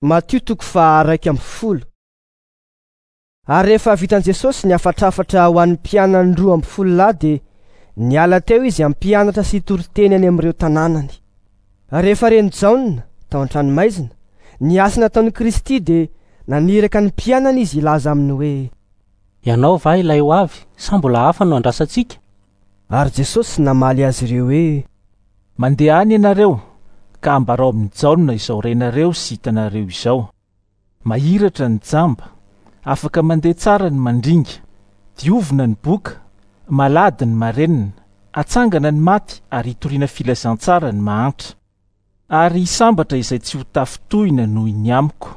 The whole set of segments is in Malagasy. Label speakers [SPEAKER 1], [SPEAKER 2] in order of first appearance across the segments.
[SPEAKER 1] Matio toko faha 11. Ary rehefa vitan'i Jesosy ny hafatrafatra ho an'ny mpianany 12 lahy dia niala teo izy hampianatra sy hitory teny any amin'ireo tanànany. Rehefa ren'i Jaona, tao an-tranomaizina, ny asa nataon'i Kristy dia naniraka ny mpianany izy hilaza aminy hoe.
[SPEAKER 2] Ianao va ilay ho avy sa mbola hafa no andrasantsika?
[SPEAKER 1] Ary Jesosy namaly azy ireo hoe.
[SPEAKER 3] Mandeha any ianareo, ka ambarao amin'i Jaona izao renareo sy hitanareo izao. Mahiratra ny jamba, afaka mandeha tsara ny mandringa, diovina ny boka, malady ny marenina, atsangana ny maty ary itoriana filazantsara ny mahantra. Ary sambatra izay tsy ho tafintohina noho ny amiko.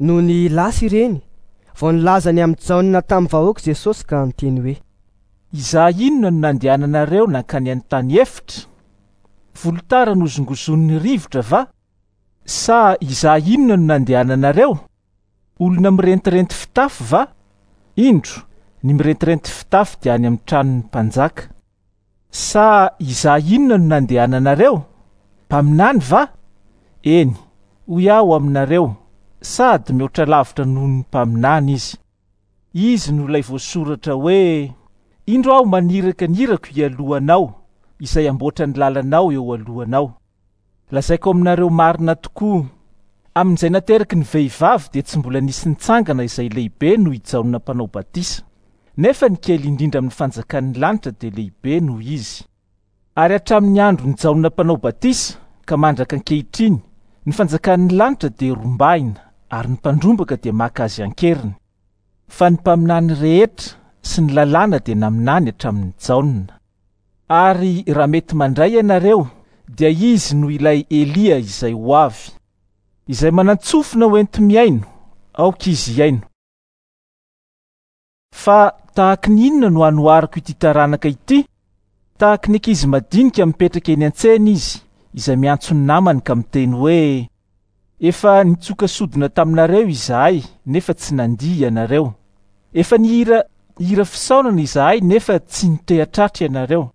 [SPEAKER 1] Nony lasa ireny, vao nilaza ny amin'i Jaona tamin'ny vahoaka Jesosy ka niteny hoe.
[SPEAKER 3] Izaho inona no nandehananareo nankany an-tany efitra? Volotara nozongozonin'ny rivotra va? Sa izaho inona no nandehananareo? Olona mirentirenty fitafy va? Indro, ny mirentirenty fitafy dia any amin'ny tranon'ny mpanjaka. Sa izaho inona no nandehananareo? Mpaminany va? Eny, hoy aho aminareo, sady mihoatra lavitra noho ny mpaminany izy. Izy no ilay voasoratra hoe, Indro aho maniraka ny irako hialoha anao, izay hamboatra ny lalanao eo alohanao. Lazaiko aminareo marina tokoa, amin'izay nateraky ny vehivavy dia tsy mbola nisy nitsangana izay lehibe noho i Jaona Mpanao Batisa, nefa ny kely indrindra amin'ny fanjakan'ny lanitra dia lehibe noho izy. Ary hatramin'ny andron'i Jaona Mpanao Batisa ka mandraka ankehitriny, ny fanjakan'ny lanitra dia rombahina, ary ny mpandrombaka dia maka azy an-keriny. Fa ny mpaminany rehetra sy ny lalàna dia naminany hatramin'i Jaona. Ary raha mety mandray ianareo, dia izy no ilay Elia izay ho avy. Izay manan-tsofina ho enti-mihaino, aoka izy hihaino. Fa tahaky ny inona no hanoharako ity taranaka ity? Tahaky ny ankizy madinika mipetraka eny an-tsena izy, izay miantso ny namany ka miteny hoe, Efa nitsoka sodina taminareo izahay, nefa tsy nandihy ianareo. Efa nihira hira fisaonana izahay, nefa tsy niteha-tratra ianareo.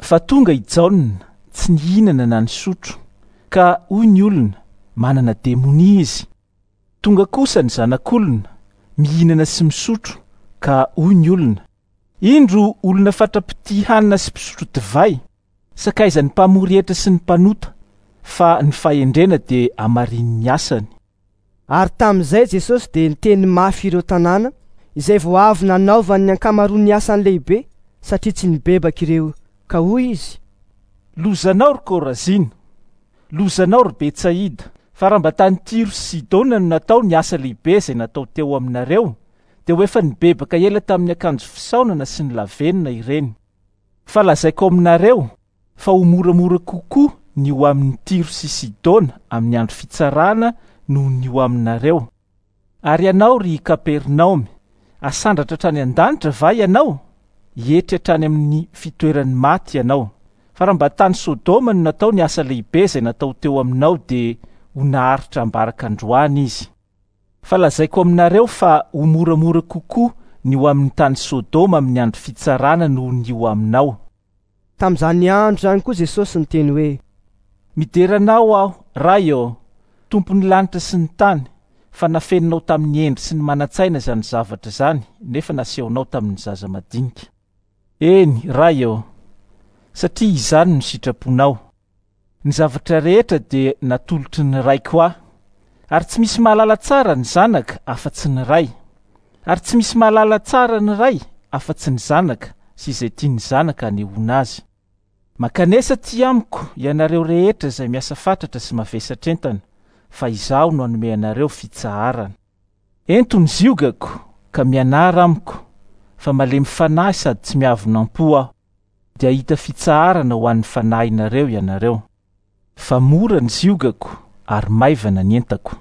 [SPEAKER 3] Fa tonga i Jaona, tsy nihinana na nisotro, ka hoy ny olona, Manana demonia izy. Tonga kosa ny Zanak'olona, mihinana sy misotro, ka hoy ny olona, Indro olona fatra-pitia hanina sy mpisotro divay, sakaizan'ny mpamory hetra sy ny mpanota, fa ny fahendrena dia hamarinin'ny asany.
[SPEAKER 1] Ary tamin'izay Jesosy dia niteny mafy ireo tanàna izay vao avy nanaovany ny ankamaroan'ny asany lehibe, satria tsy nibebaka ireo, ka hoy Izy.
[SPEAKER 3] Lozanao, ry Korazina! Lozanao, ry Betsaida! Fa raha mba tany Tyro sy Sidona no natao ny asa lehibe izay natao teo aminareo, dia ho efa nibebaka ela tamin'ny akanjo fisaonana sy ny lavenona ireny. Fa lazaiko aminareo fa ho moramora kokoa ny ho amin'i Tyro sy Sidona amin'ny andro fitsarana noho ny ho aminareo. Ary ianao, ry Kapernaomy, asandratra hatrany an-danitra va ianao? Hietry hatrany amin'ny fitoeran'ny maty ianao. Fa raha mba tany Sodoma no natao ny asa lehibe izay natao teo aminao dia ho naharitra ambaraka androany izy. Fa lazaiko aminareo fa ho moramora kokoa ny ho amin'ny tany Sodoma amin'ny andro fitsarana noho ny ho aminao.
[SPEAKER 1] Tamin'izany andro izany koa Jesosy niteny hoe.
[SPEAKER 3] Midera Anao aho, Ray ô, Tompon'ny lanitra sy ny tany, fa nafeninao tamin'ny hendry sy ny manan-tsaina izany zavatra izany, nefa nasehonao tamin'ny zaza madinika. Eny, Ray ô, satria izany no sitraponao. Ny zavatra rehetra dia natolotry ny Raiko ahy, ary tsy misy mahalala tsara ny Zanaka afa-tsy ny Ray, ary tsy misy mahalala tsara ny Ray afa-tsy ny Zanaka sy izay tian'ny Zanaka hanehoana azy. Mankanesa aty amiko ianareo rehetra izay miasa fatratra sy mavesatr'entana, fa Izaho no hanome anareo fitsaharana. Ento ny ziogako ka mianara amiko, fa malemy fanahy sady tsy miavona am-po Aho. dia hahita fitsaharana ho an'ny fanahinareo ianareo. Fa mora ny ziogako ary maivana ny entako.